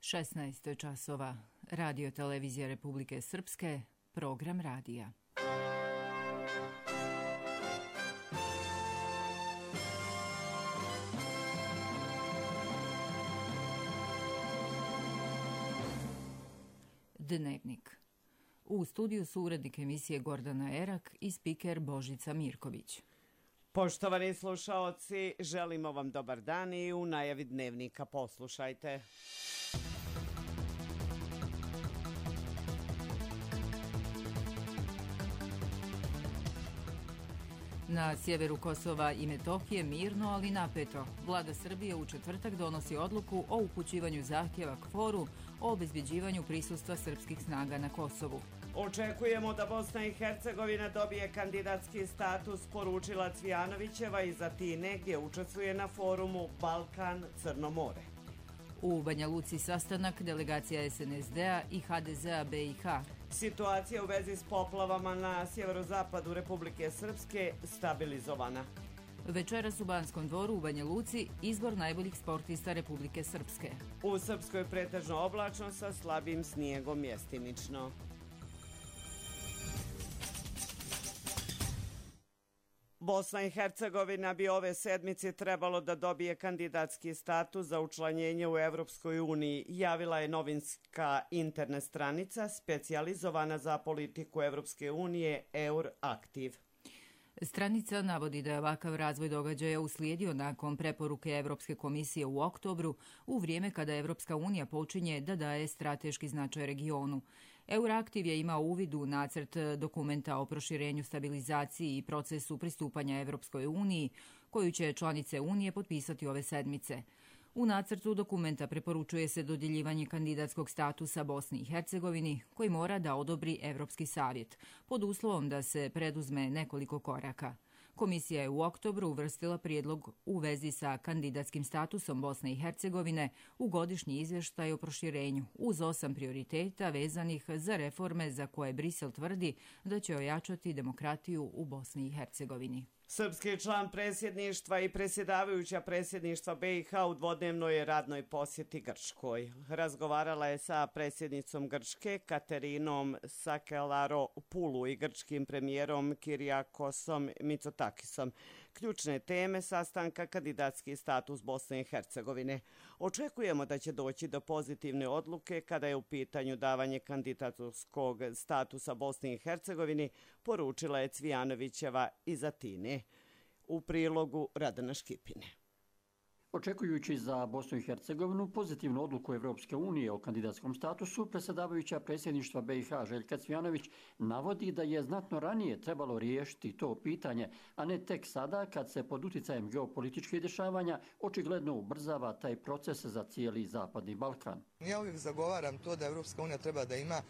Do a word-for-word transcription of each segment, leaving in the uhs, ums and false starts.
šesnaest časova. Radio Televizija Republike Srpske, program radija. Dnevnik. U studiju su urednik emisije Gordana Erak i spiker Božica Mirković. Poštovani slušaoci, želimo vam dobar dan i u najavi dnevnika poslušajte. Na sjeveru Kosova i Metohije mirno, ali napeto. Vlada Srbije u četvrtak donosi odluku o upućivanju zahtjeva K F O R-u o obezbeđivanju prisustva srpskih snaga na Kosovu. Očekujemo da Bosna i Hercegovina dobije kandidatski status, poručila Cvijanovićeva iz Atine, gdje učestvuje na forumu Balkan-Crno more. U Banja Luci sastanak delegacija S N S D-a i H D Z-a B i H. Situacija u vezi s poplavama na sjeverozapadu Republike Srpske stabilizovana. Večeras u Banskom dvoru u Banja Luci izbor najboljih sportista Republike Srpske. U Srpskoj pretežno oblačno sa slabim snijegom mjestimično. Bosna i Hercegovina bi ove sedmice trebalo da dobije kandidatski status za učlanjenje u Evropskoj uniji, javila je novinska internet stranica specijalizovana za politiku Evropske unije Euraktiv. Stranica navodi da je ovakav razvoj događaja uslijedio nakon preporuke Evropske komisije u oktobru, u vrijeme kada Evropska unija počinje da daje strateški značaj regionu. Euraktiv je imao uvid u nacrt dokumenta o proširenju, stabilizaciji i procesu pristupanja Evropskoj uniji, koju će članice Unije potpisati ove sedmice. U nacrtu dokumenta preporučuje se dodjeljivanje kandidatskog statusa Bosni i Hercegovini, koji mora da odobri Evropski savjet, pod uslovom da se preduzme nekoliko koraka. Komisija je u oktobru uvrstila prijedlog u vezi sa kandidatskim statusom Bosne i Hercegovine u godišnji izvještaj o proširenju, uz osam prioriteta vezanih za reforme za koje Brisel tvrdi da će ojačati demokratiju u Bosni i Hercegovini. Srpski član predsjedništva i predsjedavajuća predsjedništva B i H u dvodnevnoj radnoj posjeti Grčkoj. Razgovarala je sa predsjednicom Grčke Katerinom Sakelaropoulou i grčkim premijerom Kirijakosom Mitsotakisom. Ključne teme sastanka kandidatski status Bosne i Hercegovine. Očekujemo da će doći do pozitivne odluke kada je u pitanju davanje kandidatorskog statusa Bosni i Hercegovini, poručila je Cvijanovićeva iz Atine. U prilogu Radana Škipine. Očekujući za Bosnu i Hercegovinu pozitivnu odluku Evropske unije o kandidatskom statusu, predsjedavajuća predsjedništva B i H Željka Cvijanović navodi da je znatno ranije trebalo riješiti to pitanje, a ne tek sada kad se pod utjecajem geopolitičkih dešavanja očigledno ubrzava taj proces za cijeli Zapadni Balkan. Ja uvijek zagovaram to da Evropska unija treba da ima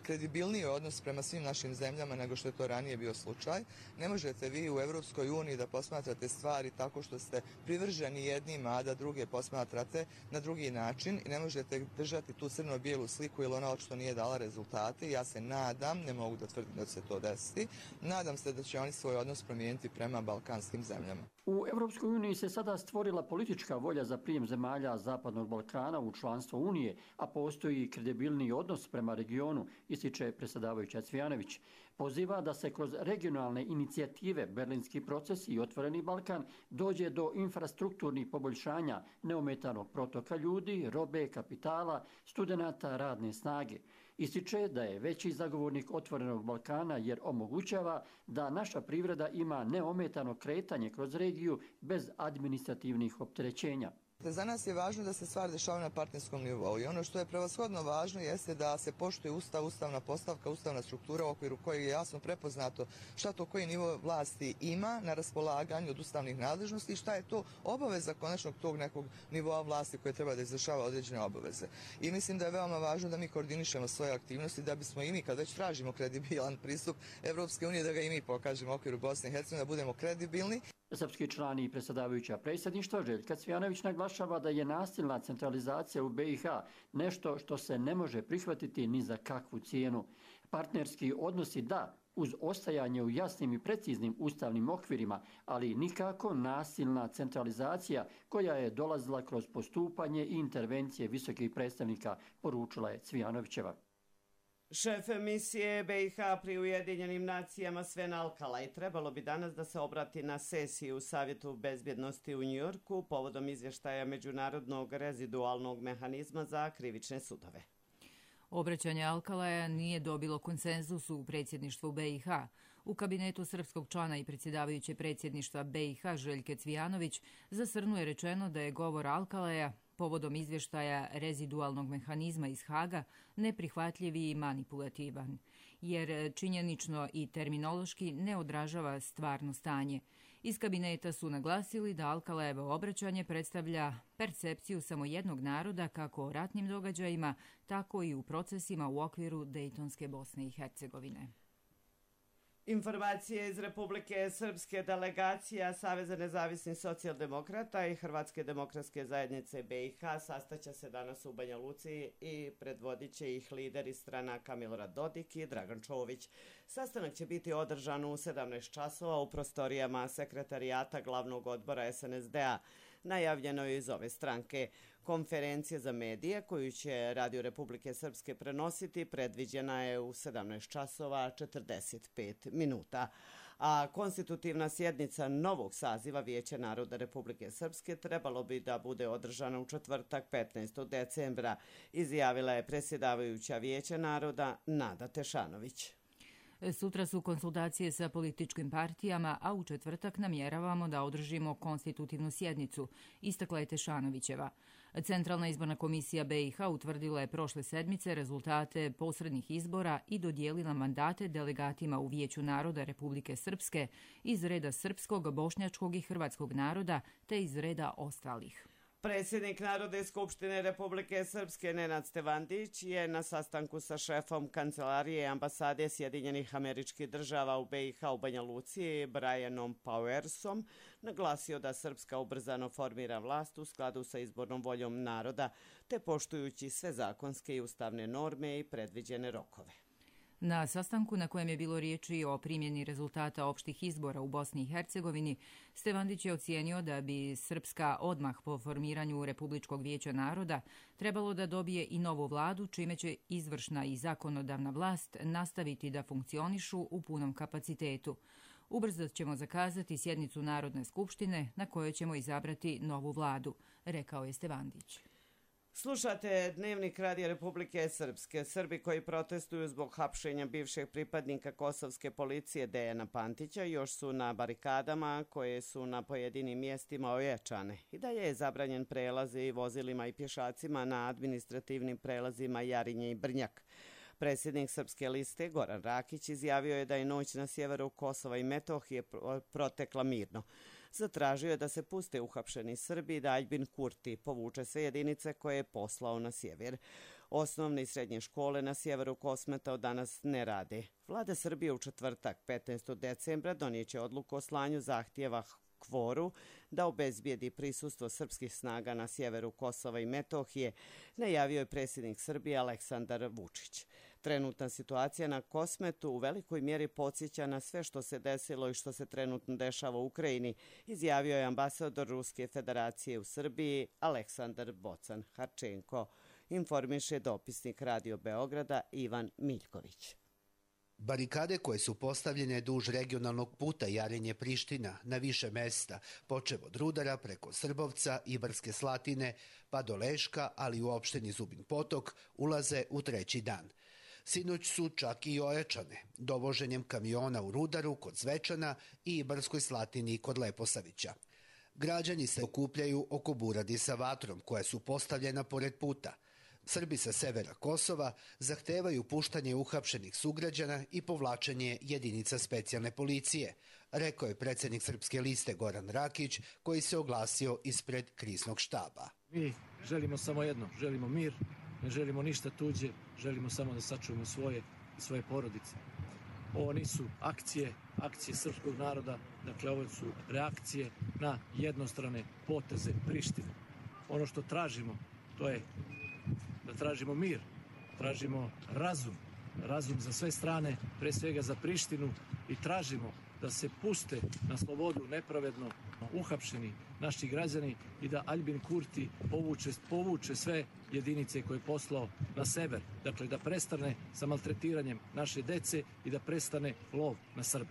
kredibilniji odnos prema svim našim zemljama nego što je to ranije bio slučaj. Ne možete vi u Evropskoj uniji da posmatrate stvari tako što ste privrženi jednima, a da druge posmatrate na drugi način i ne možete držati tu crno-bijelu sliku jer ona očito nije dala rezultate. Ja se nadam, ne mogu da tvrdim da će se to desiti, nadam se da će oni svoj odnos promijeniti prema balkanskim zemljama. U Evropskoj uniji se sada stvorila politička volja za prijem zemalja Zapadnog Balkana u članstvo Unije, a postoji kredibilni odnos prema regionu, ističe predsjedavajuća Cvijanović. Poziva da se kroz regionalne inicijative Berlinski proces i Otvoreni Balkan dođe do infrastrukturnih poboljšanja neometanog protoka ljudi, robe, kapitala, studenata, radne snage. Ističe da je veći zagovornik Otvorenog Balkana jer omogućava da naša privreda ima neometano kretanje kroz regiju bez administrativnih opterećenja. Za nas je važno da se stvari dešavaju na partnerskom nivou i ono što je prevashodno važno jeste da se poštuje ustav, ustavna postavka, ustavna struktura u okviru koje je jasno prepoznato šta to koji nivo vlasti ima na raspolaganju od ustavnih nadležnosti i šta je to obaveza konačnog tog nekog nivoa vlasti koje treba da izvršava određene obaveze. I mislim da je veoma važno da mi koordinišemo svoje aktivnosti da bismo i mi kad već tražimo kredibilan pristup Evropske unije da ga i mi pokažemo u okviru Bosne i Hercegovine, da budemo kredibilni. Srpski član i predsjedavajuća predsjedništva Željka Cvijanović naglašava da je nasilna centralizacija u B i H nešto što se ne može prihvatiti ni za kakvu cijenu. Partnerski odnosi da, uz ostajanje u jasnim i preciznim ustavnim okvirima, ali nikako nasilna centralizacija koja je dolazila kroz postupanje i intervencije visokih predstavnika, poručila je Cvijanovićeva. Šef misije B i H pri Ujedinjenim nacijama Sven Alkalaj trebalo bi danas da se obrati na sesiju u Savjetu bezbjednosti u Njujorku povodom izvještaja Međunarodnog rezidualnog mehanizma za krivične sudove. Obraćanje Alkalaja nije dobilo konsenzus u predsjedništvu B i H. U kabinetu srpskog člana i predsjedavajuće predsjedništva B i H Željke Cvijanović za Srnu je rečeno da je govor Alkalaja povodom izvještaja rezidualnog mehanizma iz Haga neprihvatljiv i manipulativan, jer činjenično i terminološki ne odražava stvarno stanje. Iz kabineta su naglasili da Alkalajevo obraćanje predstavlja percepciju samo jednog naroda kako o ratnim događajima, tako i u procesima u okviru Dejtonske Bosne i Hercegovine. Informacije iz Republike Srpske, delegacija Saveza nezavisnih socijaldemokrata i Hrvatske demokratske zajednice B i H sastaće se danas u Banja Luci i predvodit će ih lideri stranaka Milorad Dodik i Dragan Čović. Sastanak će biti održan u sedamnaest časova u prostorijama sekretarijata glavnog odbora S N S D-a. Najavljeno je iz ove stranke. Konferencija za medije koju će Radio Republike Srpske prenositi predviđena je u sedamnaest časova četrdeset pet minuta. A konstitutivna sjednica novog saziva Vijeća naroda Republike Srpske trebalo bi da bude održana u četvrtak petnaestog decembra, izjavila je predsjedavajuća Vijeća naroda Nada Tešanović. Sutra su konsultacije sa političkim partijama, a u četvrtak namjeravamo da održimo konstitutivnu sjednicu, istakla je Tešanovićeva. Centralna izborna komisija B i H utvrdila je prošle sedmice rezultate posrednih izbora i dodijelila mandate delegatima u Vijeću naroda Republike Srpske iz reda srpskog, bošnjačkog i hrvatskog naroda te iz reda ostalih. Predsjednik Narodne skupštine Republike Srpske Nenad Stevandić je na sastanku sa šefom kancelarije ambasade Sjedinjenih Američkih Država u B i H u Banja Luci, Brianom Powersom, naglasio da Srpska ubrzano formira vlast u skladu sa izbornom voljom naroda, te poštujući sve zakonske i ustavne norme i predviđene rokove. Na sastanku na kojem je bilo riječi o primjeni rezultata opštih izbora u Bosni i Hercegovini, Stevandić je ocijenio da bi Srpska odmah po formiranju Republičkog vijeća naroda trebalo da dobije i novu vladu, čime će izvršna i zakonodavna vlast nastaviti da funkcionišu u punom kapacitetu. Ubrzo ćemo zakazati sjednicu Narodne skupštine na kojoj ćemo izabrati novu vladu, rekao je Stevandić. Slušate Dnevnik Radija Republike Srpske. Srbi koji protestuju zbog hapšenja bivšeg pripadnika kosovske policije Dejana Pantića još su na barikadama koje su na pojedinim mjestima ojačane. I da je zabranjen prelaz i vozilima i pješacima na administrativnim prelazima Jarinje i Brnjak. Predsjednik Srpske liste Goran Rakić izjavio je da je noć na sjeveru Kosova i Metohije protekla mirno. Zatražio je da se puste uhapšeni Srbi i da Aljbin Kurti povuče sve jedinice koje je poslao na sjever. Osnovne i srednje škole na sjeveru Kosmeta od danas ne rade. Vlada Srbije u četvrtak petnaestog decembra donijeće odluku o slanju zahtjeva Kvoru da obezbijedi prisustvo srpskih snaga na sjeveru Kosova i Metohije, najavio je predsjednik Srbije Aleksandar Vučić. Trenutna situacija na Kosmetu u velikoj mjeri podsjeća na sve što se desilo i što se trenutno dešava u Ukrajini, izjavio je ambasador Ruske federacije u Srbiji Aleksandar Bocan Harčenko, informiše dopisnik Radio Beograda Ivan Miljković. Barikade koje su postavljene duž regionalnog puta Jarinje-Priština na više mesta, počev od Rudara preko Srbovca i Brske Slatine pa do Leška, ali u opštini Zubin Potok, ulaze u treći dan. Sinoć su čak i ojačane dovoženjem kamiona u Rudaru kod Zvečana i Brskoj Slatini kod Leposavića. Građani se okupljaju oko buradi sa vatrom koja su postavljena pored puta. Srbi sa severa Kosova zahtevaju puštanje uhapšenih sugrađana i povlačenje jedinica specijalne policije, rekao je predsjednik Srpske liste Goran Rakić, koji se oglasio ispred kriznog štaba. Mi želimo samo jedno, želimo mir, ne želimo ništa tuđe, želimo samo da sačuvamo svoje i svoje porodice. Ovo nisu akcije, akcije srpskog naroda, dakle ovo su reakcije na jednostrane poteze Prištine. Ono što tražimo, to je da tražimo mir, tražimo razum, razum za sve strane, pre svega za Prištinu, i tražimo da se puste na slobodu nepravedno uhapšeni naši građani i da Aljbin Kurti povuče, povuče sve jedinice koje je poslao na sever. Dakle, da prestane sa maltretiranjem naše dece i da prestane lov na Srbe.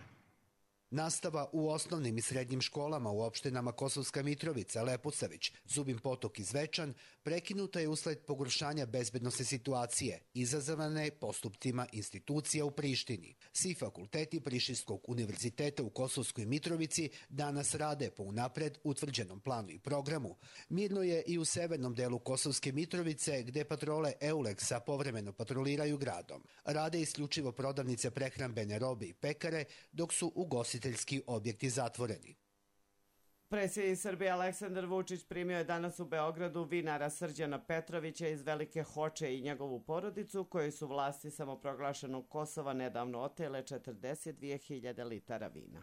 Nastava u osnovnim i srednjim školama u opštinama Kosovska Mitrovica, Leposavić, Zubin Potok i Zvečan prekinuta je usled pogoršanja bezbednosne situacije izazvane postupcima institucija u Prištini. Svi fakulteti Prištinskog univerziteta u Kosovskoj Mitrovici danas rade po unapred utvrđenom planu i programu. Mirno je i u severnom delu Kosovske Mitrovice, gde patrole Euleksa povremeno patroliraju gradom. Rade isključivo prodavnice prehrambene robe i pekare, dok su ugostiteljski objekti zatvoreni. Predsjednik Srbije Aleksandar Vučić primio je danas u Beogradu vinara Srđana Petrovića iz Velike Hoče i njegovu porodicu, koji su vlasti samoproglašenog Kosova nedavno otele četrdeset dvije hiljade litara vina.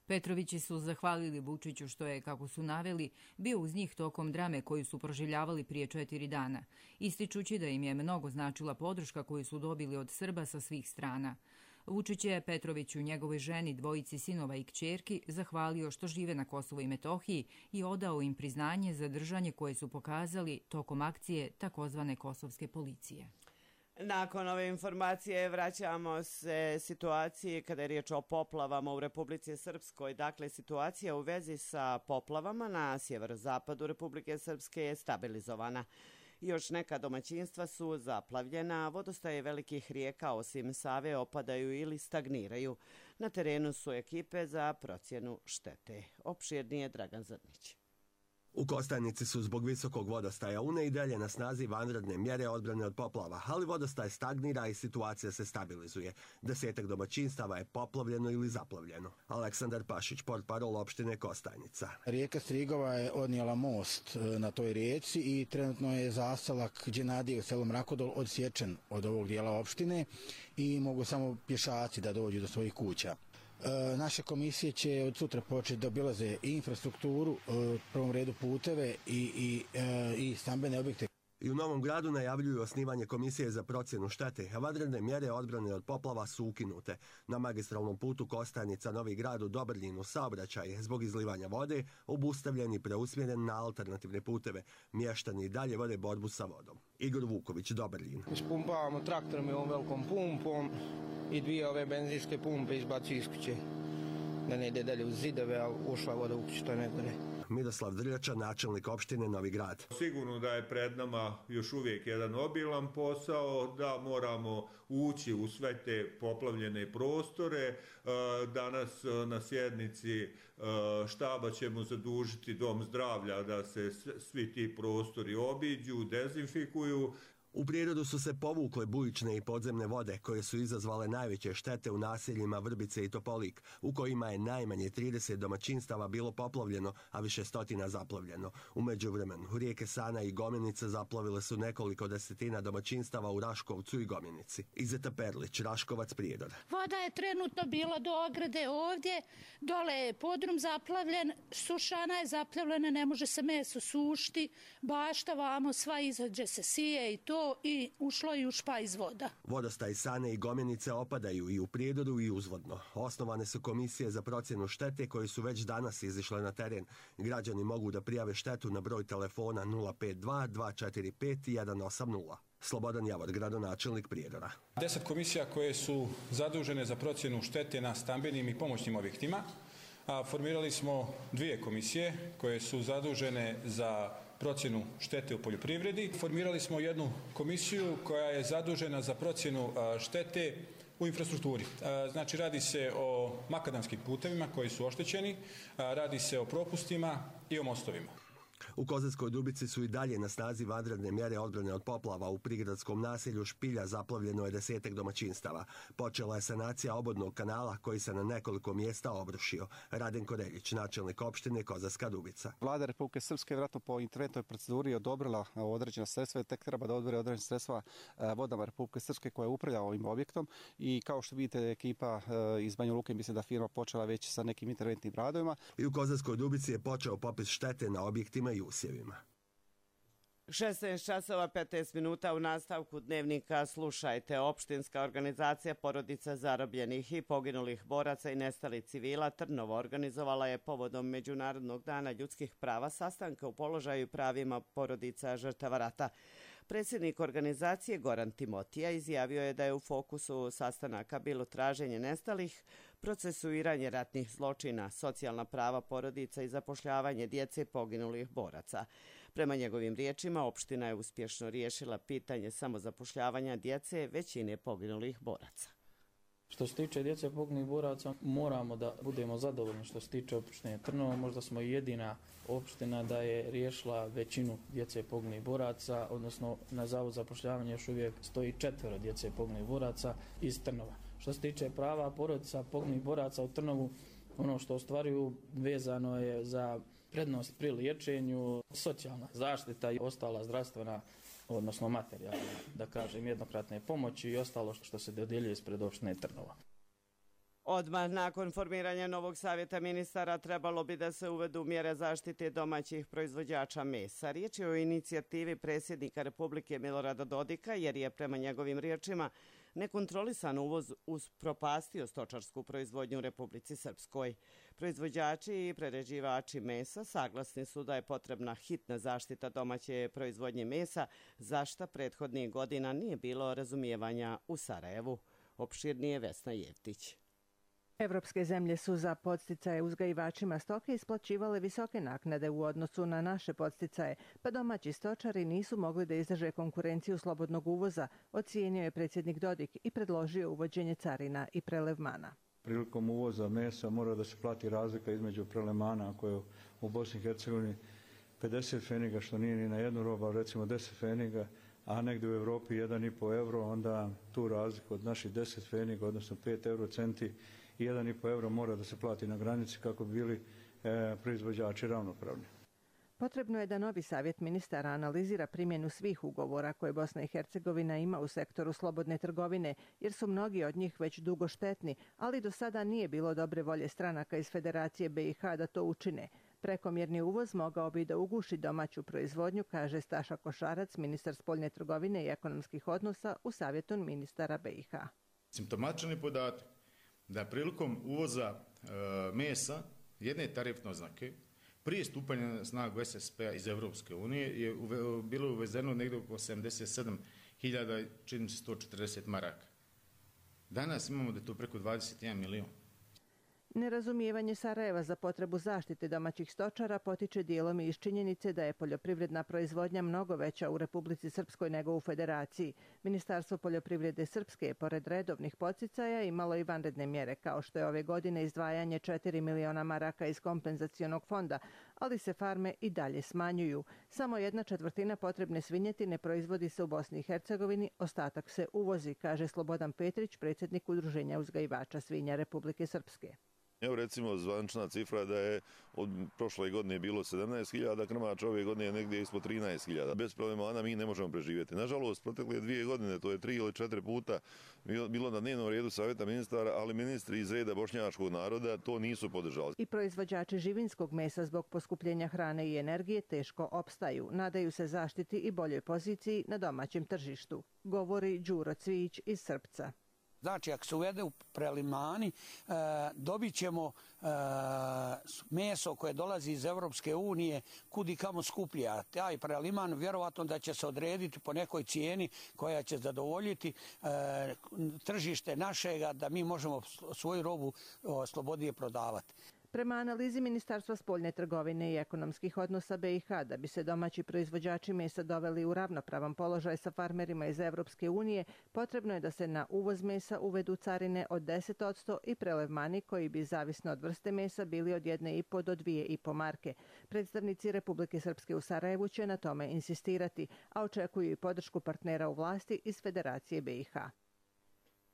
Petrovići su zahvalili Vučiću što je, kako su naveli, bio uz njih tokom drame koju su proživljavali prije četiri dana, ističući da im je mnogo značila podrška koju su dobili od Srba sa svih strana. Vučić je Petroviću, njegovoj ženi, dvojici sinova i kćerki, zahvalio što žive na Kosovu i Metohiji i odao im priznanje za držanje koje su pokazali tokom akcije takozvane kosovske policije. Nakon ove informacije vraćamo se situaciji kada je riječ o poplavama u Republici Srpskoj. Dakle, situacija u vezi sa poplavama na sjeverozapadu Republike Srpske je stabilizovana. Još neka domaćinstva su zaplavljena, vodostaje velikih rijeka osim Save opadaju ili stagniraju. Na terenu su ekipe za procjenu štete. Opširnije Dragan Zrnić. U Kostajnici su zbog visokog vodostaja Une i dalje na snazi vanredne mjere odbrane od poplava, ali vodostaj stagnira i situacija se stabilizuje. Desetak domaćinstava je poplavljeno ili zaplavljeno. Aleksandar Pašić, portparol opštine Kostajnica. Rijeka Strigova je odnijela most na toj rijeci i trenutno je zaselak Đenadije u selu Mrakodol odsječen od ovog dijela opštine i mogu samo pješaci da dođu do svojih kuća. Naše komisije će od sutra početi da obilaze i infrastrukturu, u prvom redu puteve i, i, i stambene objekte. I u Novom Gradu najavljuju osnivanje komisije za procjenu štete, a vanredne mjere odbrane od poplava su ukinute. Na magistralnom putu Kostajnica Novi Grad u Dobrljinu saobraćaj je zbog izlivanja vode obustavljen i preusmjeren na alternativne puteve. Mještani i dalje vode borbu sa vodom. Igor Vuković, Dobrljin. Ispumpavamo traktorom i ovom velikom pumpom i dvije ove benzinske pumpe izbacuju iz kuće. Da ne ide dalje u zidove, a ušla voda u kuću, to je najgore. Miroslav Drljača, načelnik opštine Novi Grad. Sigurno da je pred nama još uvijek jedan obilan posao, da moramo ući u sve te poplavljene prostore. Danas na sjednici štaba ćemo zadužiti Dom zdravlja da se svi ti prostori obiđu, dezinfikuju. U prirodu su se povukle bujične i podzemne vode koje su izazvale najveće štete u naseljima Vrbice i Topolik, u kojima je najmanje trideset domaćinstava bilo poplavljeno, a više stotina zaplavljeno. U međuvremenu, rijeke Sana i Gomenica zaplavile su nekoliko desetina domaćinstava u Raškovcu i Gomenici. Izeta Perlić, Raškovac, Prijedor. Voda je trenutno bila do ograde ovdje, dole je podrum zaplavljen, sušana je zaplavljena, ne može se meso sušti, bašta vamo, sva izađe se sije i to, i ušlo i u špajz voda. Vodostaj Sane i Gomenice opadaju i u Prijedoru i uzvodno. Osnovane su komisije za procjenu štete koje su već danas izišle na teren. Građani mogu da prijave štetu na broj telefona nula pet dva dva četiri pet jedan osam nula. Slobodan Javor, gradonačelnik Prijedora. Deset komisija koje su zadužene za procjenu štete na stambenim i pomoćnim objektima. A formirali smo dvije komisije koje su zadužene za procjenu štete u poljoprivredi. Formirali smo jednu komisiju koja je zadužena za procjenu štete u infrastrukturi. Znači, radi se o makadamskim putevima koji su oštećeni, radi se o propustima i o mostovima. U Kozarskoj Dubici su i dalje na snazi vanredne mjere odbrane od poplava. U prigradskom naselju Špilja zaplavljeno je desetak domaćinstava. Počela je sanacija obodnog kanala koji se na nekoliko mjesta obrušio. Radenko Reljić, načelnik opštine Kozarska Dubica. Vlada Republike Srpske vjerojatno po interventnoj proceduri odobrila određena sredstva i tek treba da odbere određena sredstva vodama Republike Srpske koja upravlja ovim objektom. I kao što vidite, ekipa iz Banja Luke, mislim da firma počela već sa nekim interventnim radovima. I u Kozarskoj Dubici je počeo popis štete na objektima i usjevima. šesnaest časova petnaest minuta u nastavku dnevnika slušajte. Opštinska organizacija porodica zarobljenih i poginulih boraca i nestalih civila Trnovo organizovala je povodom Međunarodnog dana ljudskih prava sastanka u položaju i pravima porodica žrtava rata. Predsjednik organizacije Goran Timotija izjavio je da je u fokusu sastanaka bilo traženje nestalih, procesuiranje ratnih zločina, socijalna prava porodica i zapošljavanje djece poginulih boraca. Prema njegovim riječima, opština je uspješno riješila pitanje samozapošljavanja djece većine poginulih boraca. Što se tiče djece poginulih boraca, moramo da budemo zadovoljni što se tiče opštine Trnovo. Možda smo i jedina opština da je riješila većinu djece poginulih boraca, odnosno na Zavodu za zapošljavanje još uvijek stoji četvero djece poginulih boraca iz Trnova. Što se tiče prava porodica poginulih boraca u Trnovu, ono što ostvaruju vezano je za prednost pri liječenju, socijalna zaštita i ostala zdravstvena, odnosno materijalna, da kažem, jednokratne pomoći i ostalo što se dodjeljuje ispred opštine Trnova. Odmah nakon formiranja novog savjeta ministara trebalo bi da se uvedu mjere zaštite domaćih proizvođača mesa. Riječ je o inicijativi predsjednika Republike Milorada Dodika, jer je prema njegovim riječima nekontrolisan uvoz upropastio stočarsku proizvodnju u Republici Srpskoj. Proizvođači i prerađivači mesa saglasni su da je potrebna hitna zaštita domaće proizvodnje mesa, za šta prethodnih godina nije bilo razumijevanja u Sarajevu. Opširnije Vesna Jevtić. Evropske zemlje su za podsticaje uzgajivačima stoke isplaćivale visoke naknade u odnosu na naše podsticaje, pa domaći stočari nisu mogli da izdrže konkurenciju slobodnog uvoza, ocijenio je predsjednik Dodik i predložio uvođenje carina i prelevmana. Prilikom uvoza mesa mora da se plati razlika između prelevmana koje je u Bosni i Hercegovini pedeset feniga, što nije ni na jednu robu, recimo deset feniga, a negdje u Evropi jedan i po euro, onda tu razliku od naših deset feniga, odnosno pet euro centi, i jedan i po euro mora da se plati na granici kako bi bili e, proizvođači ravnopravni. Potrebno je da novi savjet ministara analizira primjenu svih ugovora koje Bosna i Hercegovina ima u sektoru slobodne trgovine, jer su mnogi od njih već dugo štetni, ali do sada nije bilo dobre volje stranaka iz Federacije B i H da to učine. Prekomjerni uvoz mogao bi da uguši domaću proizvodnju, kaže Staša Košarac, ministar spoljne trgovine i ekonomskih odnosa u savjetu ministara B i H. Simptomatičan je podatak da prilikom uvoza e, mesa jedne tarifne oznake prije stupanja na snagu S S P-a iz Evropske unije je uve, bilo uvezeno negdje oko sedamdeset sedam hiljada, čini se sto četrdeset maraka. Danas imamo da je to preko dvadeset jedan milion. Nerazumijevanje Sarajeva za potrebu zaštite domaćih stočara potiče dijelom i iz činjenice da je poljoprivredna proizvodnja mnogo veća u Republici Srpskoj nego u Federaciji. Ministarstvo poljoprivrede Srpske je pored redovnih podsticaja imalo i vanredne mjere, kao što je ove godine izdvajanje četiri miliona maraka iz kompenzacionog fonda, ali se farme i dalje smanjuju. Samo jedna četvrtina potrebne svinjetine proizvodi se u Bosni i Hercegovini, ostatak se uvozi, kaže Slobodan Petrić, predsjednik Udruženja uzgajivača svinja Republike Srpske. Evo recimo zvančna cifra da je od prošle godine bilo sedamnaest hiljada krmača, ove godine je negdje ispod trinaest hiljada. Bez prelevmana mi ne možemo preživjeti. Nažalost, protekle dvije godine, to je tri ili četiri puta bilo na dnevnom redu savjeta ministara, ali ministri iz reda bošnjačkog naroda to nisu podržali. I proizvođači živinskog mesa zbog poskupljenja hrane i energije teško opstaju. Nadaju se zaštiti i boljoj poziciji na domaćem tržištu, govori Đuro Cvijić iz Srpca. Znači, ako se uvede u prelevmani, e, dobit ćemo e, meso koje dolazi iz Evropske unije kudi kamo skuplje. A taj prelevman vjerovatno da će se odrediti po nekoj cijeni koja će zadovoljiti e, tržište našega, da mi možemo svoju robu o, slobodnije prodavati. Prema analizi Ministarstva spoljne trgovine i ekonomskih odnosa B i H, da bi se domaći proizvođači mesa doveli u ravnopravan položaj sa farmerima iz Evropske unije, potrebno je da se na uvoz mesa uvedu carine od deset posto i prelevmani koji bi, zavisno od vrste mesa, bili od jedne i po do dvije i po marke. Predstavnici Republike Srpske u Sarajevu će na tome insistirati, a očekuju i podršku partnera u vlasti iz Federacije B i H.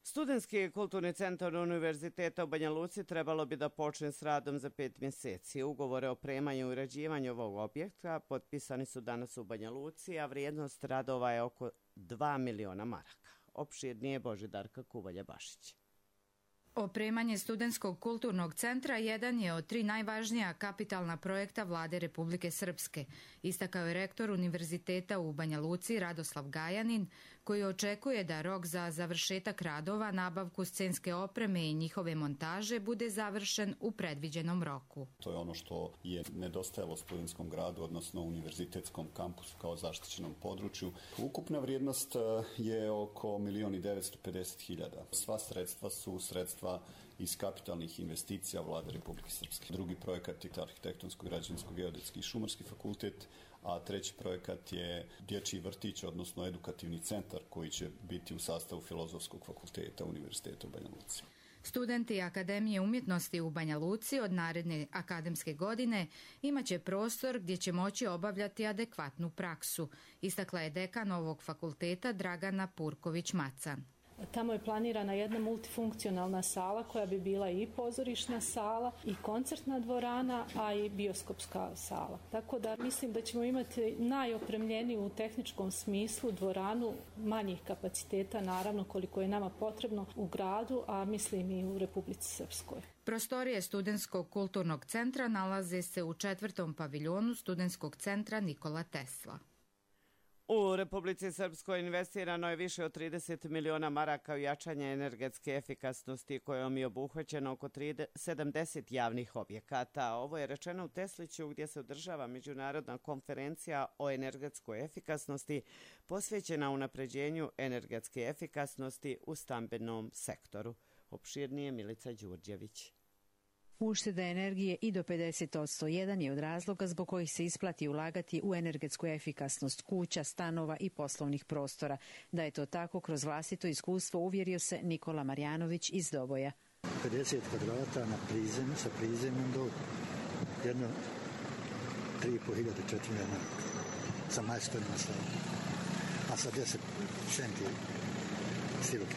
Studentski kulturni centar Univerziteta u Banja Luci trebalo bi da počne s radom za pet mjeseci. Ugovore o opremanju i uređivanju ovog objekta potpisani su danas u Banja Luci, a vrijednost radova je oko dva miliona maraka. Opširnije Božidarka Kuvalja-Bašić. Opremanje studentskog kulturnog centra jedan je od tri najvažnija kapitalna projekta vlade Republike Srpske, istakao je rektor Univerziteta u Banja Luci Radoslav Gajanin, koji očekuje da rok za završetak radova, nabavku scenske opreme i njihove montaže bude završen u predviđenom roku. To je ono što je nedostajalo studentskom gradu, odnosno univerzitetskom kampusu kao zaštićenom području. Ukupna vrijednost je oko milion i devetsto pedeset hiljada. Sva sredstva su sredstva iz kapitalnih investicija vlade Republike Srpske. Drugi projekat je arhitektonsko, građevinsko, geodetski i šumarski fakultet, a treći projekat je dječji vrtić, odnosno edukativni centar koji će biti u sastavu Filozofskog fakulteta Univerziteta u Banja Luci. Studenti Akademije umjetnosti u Banja Luci od naredne akademske godine imaće prostor gdje će moći obavljati adekvatnu praksu, istakla je dekan ovog fakulteta Dragana Purković-Macan. Tamo je planirana jedna multifunkcionalna sala koja bi bila i pozorišna sala i koncertna dvorana, a i bioskopska sala. Tako da mislim da ćemo imati najopremljeniju u tehničkom smislu dvoranu manjih kapaciteta, naravno koliko je nama potrebno u gradu, a mislim i u Republici Srpskoj. Prostorije Studentskog kulturnog centra nalaze se u četvrtom paviljonu Studentskog centra Nikola Tesla. U Republici Srpskoj investirano je više od trideset miliona maraka u jačanje energetske efikasnosti kojom je obuhvaćeno oko sedamdeset javnih objekata. Ovo je rečeno u Tesliću gdje se održava međunarodna konferencija o energetskoj efikasnosti posvećena unapređenju energetske efikasnosti u stambenom sektoru. Opširnije Milica Đurđević. Ušteda energije i do pedeset posto jedan je od razloga zbog kojih se isplati ulagati u energetsku efikasnost kuća, stanova i poslovnih prostora. Da je to tako kroz vlastito iskustvo uvjerio se Nikola Marjanović iz Doboja. pedeset kvadrata na prizemlju, sa prizemljom do jedno tri i po hiljade, četiri jedna sa majstorima, a sa deset centi siruke.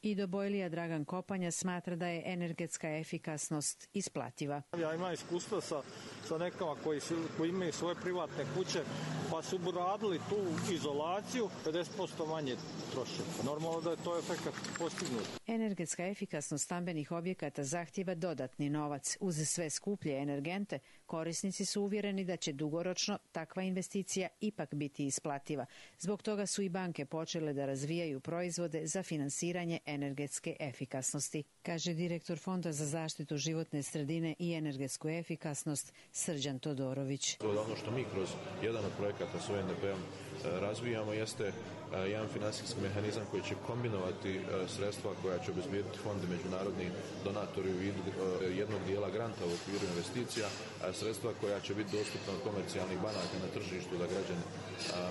I Dobojlija Dragan Kopanja smatra da je energetska efikasnost isplativa. Ja imam iskustva sa, sa nekama koji, su, koji imaju svoje privatne kuće, pa su radili tu izolaciju, pedeset posto manje troše. Normalno da je to efekat postignut. Energetska efikasnost stambenih objekata zahtjeva dodatni novac. Uz sve skuplje energente, korisnici su uvjereni da će dugoročno takva investicija ipak biti isplativa. Zbog toga su i banke počele da razvijaju proizvode za finansiranje energetske efikasnosti, kaže direktor Fonda za zaštitu životne sredine i energetsku efikasnost Srđan Todorović. Ono što mi kroz jedan od projekata s O N D P-om razvijamo jeste jedan finansijski mehanizam koji će kombinovati sredstva koja će obezbijediti fond i međunarodni donatori u vidu jednog dijela granta u okviru investicija, a sredstva koja će biti dostupna od komercijalnih banaka na tržištu da građani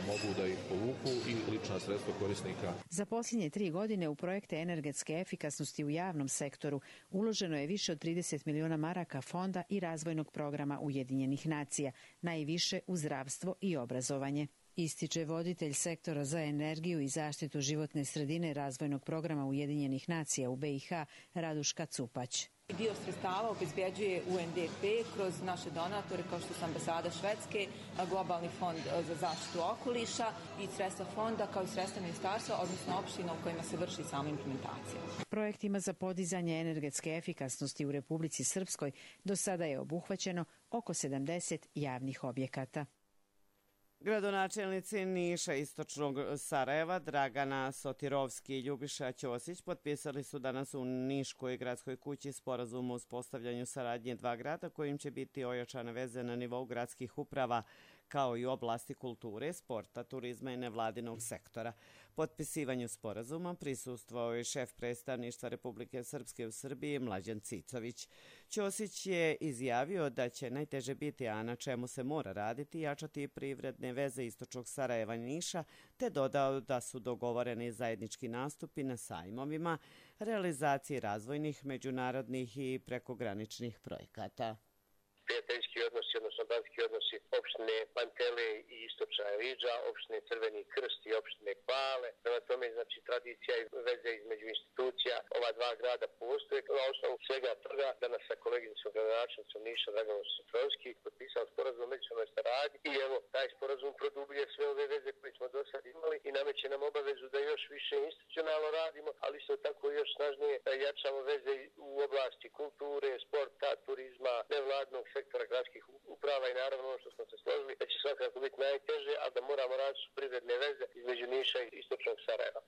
mogu da ih povuku i lična sredstva korisnika. Za posljednje tri godine u projekte energetske efikasnosti u javnom sektoru uloženo je više od trideset miliona maraka fonda i razvojnog programa Ujedinjenih nacija, najviše u zdravstvo i obrazovanje. Ističe voditelj sektora za energiju i zaštitu životne sredine razvojnog programa Ujedinjenih nacija u B i H Raduška Cupać. Dio sredstava obezbjeđuje U N D P kroz naše donatore kao što su ambasada Švedske, globalni fond za zaštitu okoliša i sredstva fonda kao i sredstva ministarstva, odnosno opština u kojima se vrši sama implementacija. Projektima za podizanje energetske efikasnosti u Republici Srpskoj do sada je obuhvaćeno oko sedamdeset javnih objekata. Gradonačelnici Niša, Istočnog Sarajeva, Dragana Sotirovski i Ljubiša Ćosić potpisali su danas u Niškoj gradskoj kući sporazum o uspostavljanju saradnje dva grada kojim će biti ojačane veze na nivou gradskih uprava kao i u oblasti kulture, sporta, turizma i nevladinog sektora. Potpisivanju sporazuma prisustvovao je šef predstavništva Republike Srpske u Srbiji Mlađan Cicović. Ćosić je izjavio da će najteže biti, a na čemu se mora raditi, jačati privredne veze Istočnog Sarajeva i Niša, te dodao da su dogovoreni zajednički nastupi na sajmovima, realizaciji razvojnih, međunarodnih i prekograničnih projekata. Prijateljski odnosi, odnosno bratski odnosi opštine Pantele i Istočna Riđa, opštine Crveni Krst i opštine Pale, Prema tome, znači, tradicija i veze između institucija ova dva grada postoje. Na osnovu svega toga, danas sa koleginicom gradonačelnicom Niša Draganom Sotrovski potpisao sporazum o međusobnoj saradnji i evo, taj sporazum produbljuje sve ove veze koje smo do sad imali i nameće nam obavezu da još više institucionalno radimo, ali isto tako još snažnije jačamo veze u oblasti kulture, sporta, turizma, nevladnog sektora gradskih uprava i naravno ono što smo se složili da će svakako biti najteže, a da moramo raditi privredne veze između Niša i istočnog Sarajeva.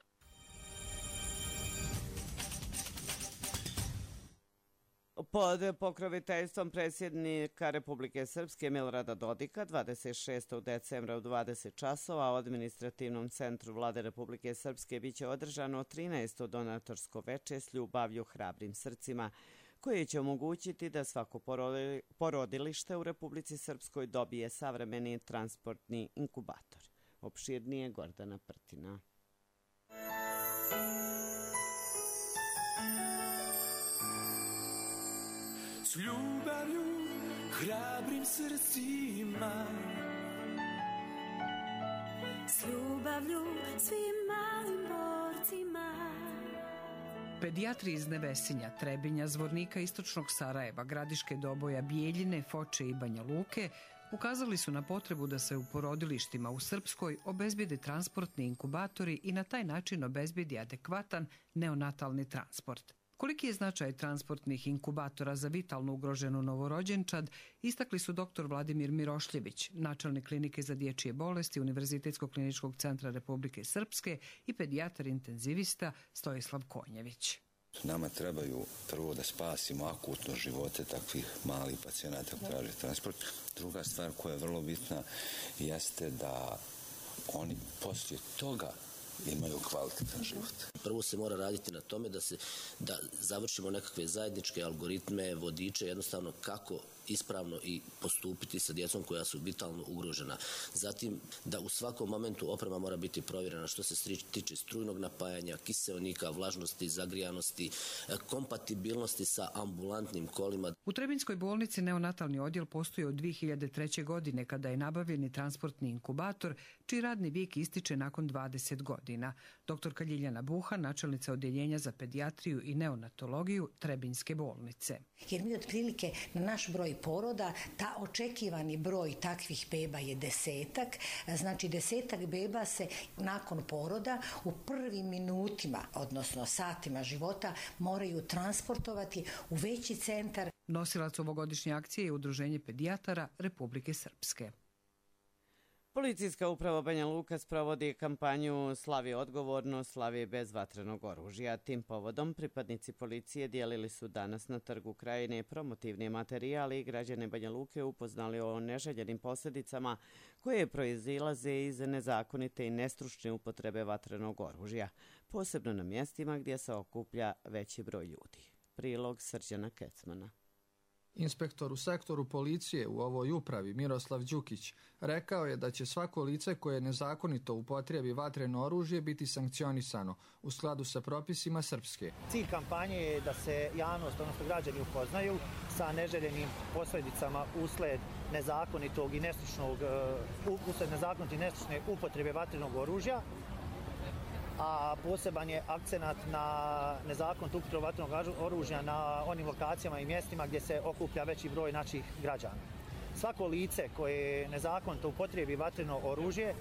Pod pokroviteljstvom predsjednika Republike Srpske Milorada Dodika dvadeset šestog decembra u dvadeset časova u administrativnom centru Vlade Republike Srpske biće održano trinaesto donatorsko veče s ljubavlju hrabrim srcima, koje će omogućiti da svako porodilište u Republici Srpskoj dobije savremeni transportni inkubator. Opširnije Gordana Prtina. S ljubavlju, hrabrim srcima, s ljubavlju svim malim borcima. Pedijatri iz Nevesinja, Trebinja, Zvornika, Istočnog Sarajeva, Gradiške Doboja, Bijeljine, Foče i Banja Luke ukazali su na potrebu da se u porodilištima u Srpskoj obezbijede transportni inkubatori i na taj način obezbijedi adekvatan neonatalni transport. Koliki je značaj transportnih inkubatora za vitalno ugroženu novorođenčad, istakli su doktor Vladimir Mirošljević, načelnik klinike za dječje bolesti Univerzitetskog kliničkog centra Republike Srpske i pedijatar intenzivista Stojislav Konjević. Nama trebaju prvo da spasimo akutno živote takvih malih pacijenata koji traže transport. Druga stvar koja je vrlo bitna jeste da oni poslije toga imaju kvalitetan život. Prvo se mora raditi na tome da se da završimo nekakve zajedničke algoritme, vodiče, jednostavno kako ispravno i postupiti sa djecom koja su vitalno ugrožena. Zatim da u svakom momentu oprema mora biti provjerena što se tiče strujnog napajanja, kiseonika, vlažnosti, zagrijanosti, kompatibilnosti sa ambulantnim kolima. U Trebinjskoj bolnici neonatalni odjel postoji od dvije hiljade treće. godine kada je nabavljeni transportni inkubator, čiji radni vijek ističe nakon dvadeset godina. Doktorka Ljiljana Buha, načelnica odjeljenja za pedijatriju i neonatologiju Trebinjske bolnice. Jer mi otprilike na naš broj poroda, ta očekivani broj takvih beba je desetak, znači desetak beba se nakon poroda u prvim minutima, odnosno satima života, moraju transportovati u veći centar. Nosilac ovogodišnje akcije je Udruženje pedijatara Republike Srpske. Policijska uprava Banja Luka sprovodi kampanju Slavi odgovorno, slavi bez vatrenog oružja. Tim povodom pripadnici policije dijelili su danas na Trgu Krajine promotivni materijali i građane Banja Luke upoznali o neželjenim posljedicama koje proizilaze iz nezakonite i nestručne upotrebe vatrenog oružja, posebno na mjestima gdje se okuplja veći broj ljudi. Prilog Srđana Kecmana. Inspektor u sektoru policije u ovoj upravi Miroslav Đukić rekao je da će svako lice koje nezakonito upotrijebi vatreno oružje biti sankcionisano u skladu sa propisima Srpske. Cilj kampanje je da se javnost, odnosno građani upoznaju sa neželjenim posljedicama usled nezakonitog i nestručnog, usled nezakonite i nestručne upotrebe vatrenog oružja, a poseban je akcenat na nezakonitu upotrebu vatrenog oružja na onim lokacijama i mjestima gdje se okuplja veći broj naših građana. Svako lice koje nezakonito upotrebi vatreno oružje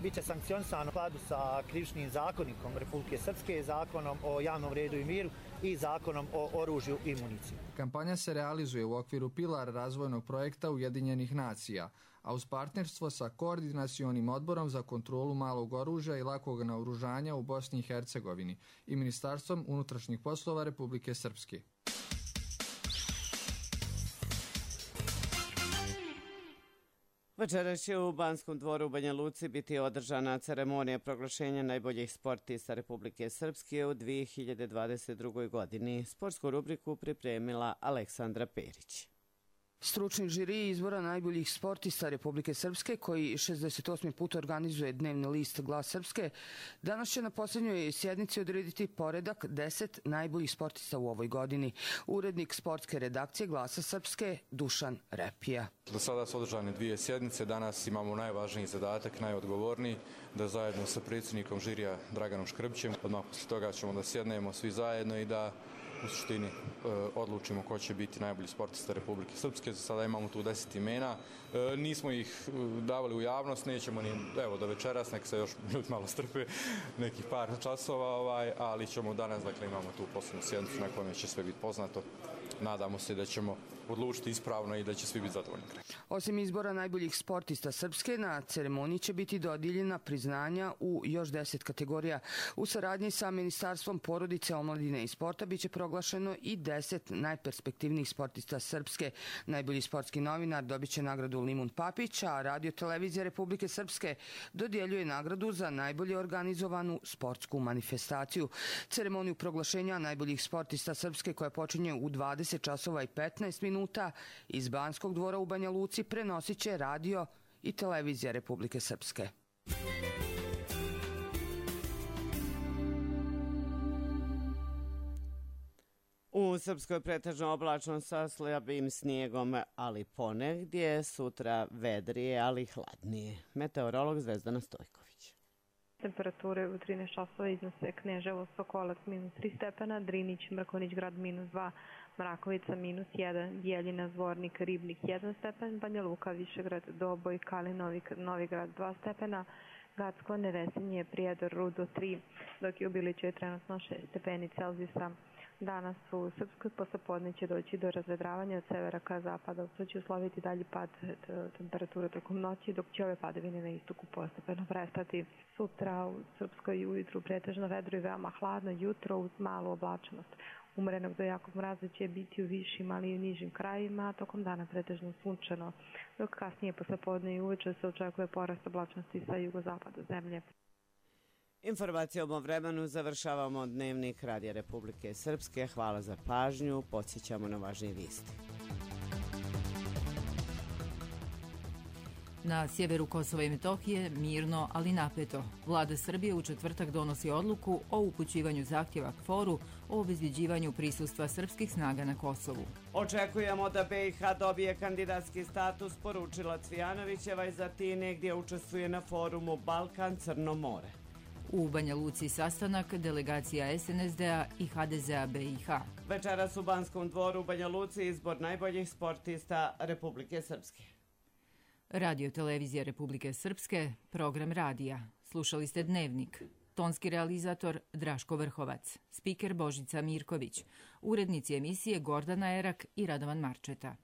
bit će sankcionisano u skladu sa krivičnim zakonikom Republike Srpske, zakonom o javnom redu i miru i zakonom o oružju i municiji. Kampanja se realizuje u okviru pilar razvojnog projekta Ujedinjenih nacija, a uz partnerstvo sa Koordinacionim odborom za kontrolu malog oružja i lakog naoružanja u Bosni i Hercegovini i Ministarstvom unutrašnjih poslova Republike Srpske. Večeras će u Banskom dvoru u Banja Luci biti održana ceremonija proglašenja najboljih sportista Republike Srpske u dvije hiljade dvadeset drugoj. godini. Sportsku rubriku pripremila Aleksandra Perić. Stručni žiri izbora najboljih sportista Republike Srpske, koji šezdeset osmi put organizuje dnevni list Glas Srpske, danas će na posljednjoj sjednici odrediti poredak deset najboljih sportista u ovoj godini. Urednik sportske redakcije Glasa Srpske Dušan Repija. Do sada su održane dvije sjednice, danas imamo najvažniji zadatak, najodgovorniji, da zajedno sa predsjednikom žirija Draganom Škrbićem, odmah poslije toga ćemo da sjednemo svi zajedno i da u suštini e, odlučimo ko će biti najbolji sportista Republike Srpske. Za sada imamo tu deset imena. E, nismo ih davali u javnost, nećemo ni, evo, do večeras, nek se još ljudi malo strpe, nekih par časova, ovaj, ali ćemo danas, dakle, imamo tu posljednju sjednicu na kojoj će sve biti poznato. Nadamo se da ćemo odlučiti ispravno i da će svi biti zadovoljni. Osim izbora najboljih sportista Srpske, na ceremoniji će biti dodijeljena priznanja u još deset kategorija. U saradnji sa Ministarstvom porodice, omladine i sporta biće proglašeno i deset najperspektivnijih sportista Srpske. Najbolji sportski novinar dobit će nagradu Limun Papić, a Radio televizija Republike Srpske dodjeljuje nagradu za najbolje organizovanu sportsku manifestaciju. Ceremoniju proglašenja najboljih sportista Srpske, koja počinje u dvadeset časova i petnaest minuta, iz Banskog dvora u Banja Luci prenosit će Radio i televizija Republike Srpske. U Srpskoj pretežno oblačno sa slabim snijegom, ali ponegdje, sutra vedrije, ali hladnije. Meteorolog Zvezdana Stojković. Temperature u trinaest časova iznose Kneževo, Sokolac minus tri stepena, Drinić, Mrkonjić grad minus dva, Mrakovica minus jedan, Bjeljina, Zvornik, Ribnik jedan stepen, Banja Luka, Višegrad, Doboj, Kalinovik, Novigrad dva stepena, Gacko, Nevesinje, Prijedor, Rudo tri, dok je u Biliću je trenutno šest stepeni Celzijusa. Danas u Srpskoj poslepodne će doći do razvedravanja od severa ka zapadu, što će usloviti dalji pad temperature tokom noći, dok će ove padavine na istoku postepeno prestati. Sutra u Srpskoj ujutru pretežno vedro i veoma hladno, jutro uz malu oblačnost. Umerenog do jakog mraza će biti u višim, ali i u nižim krajevima, a tokom dana pretežno sunčano, dok kasnije poslepodne i uveče se očekuje porast oblačnosti sa jugozapada zemlje. Informacijom o vremenu završavamo dnevnik Radija Republike Srpske. Hvala za pažnju. Podsjećamo na važnije vijesti. Na sjeveru Kosova i Metohije mirno, ali napeto. Vlada Srbije u četvrtak donosi odluku o upućivanju zahtjeva K F O R-u o obezbjeđivanju prisustva srpskih snaga na Kosovu. Očekujemo da B i H dobije kandidatski status, poručila Cvijanovićeva iz Atine, gdje učestvuje na forumu Balkan-Crno more. U Banja Luci sastanak delegacija S N S D-a i H D Z-a B i H. Večeras u Banskom dvoru u Banja Luci izbor najboljih sportista Republike Srpske. Radio televizija Republike Srpske, program radija. Slušali ste Dnevnik. Tonski realizator Draško Vrhovac. Spiker Božica Mirković. Urednici emisije Gordana Erak i Radovan Marčeta.